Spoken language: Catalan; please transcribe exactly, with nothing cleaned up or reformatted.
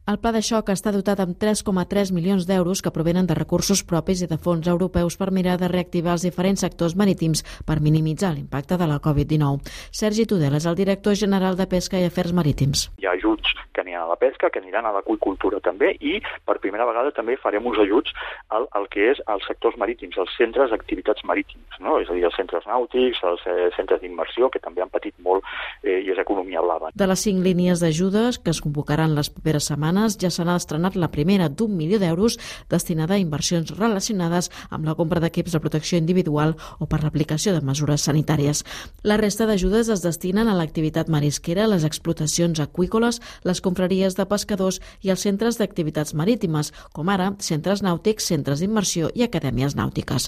El pla de xoc està dotat amb tres coma tres milions d'euros que provenen de recursos propis i de fons europeus per mirar de reactivar els diferents sectors marítims per minimitzar l'impacte de la covid dinou. Sergi Tudela és el director general de Pesca i Afers Marítims. Hi ha ajuts que aniran a la pesca, que aniran a l'aqüicultura també, i per primera vegada també farem uns ajuts al, al que és als sectors marítims, als centres d'activitats marítims, no? És a dir, els centres nàutics, els eh, centres d'immersió, que també han patit molt eh, i és economia blava. De les cinc línies d'ajudes que es convocaran les properes setmanes, ja se n'ha estrenat la primera d'un milió d'euros destinada a inversions relacionades amb la compra d'equips de protecció individual o per l'aplicació de mesures sanitàries. La resta d'ajudes es destinen a l'activitat marisquera, les explotacions aqüícoles, les confraries de pescadors i els centres d'activitats marítimes, com ara centres nàutics, centres d'immersió i acadèmies nàutiques.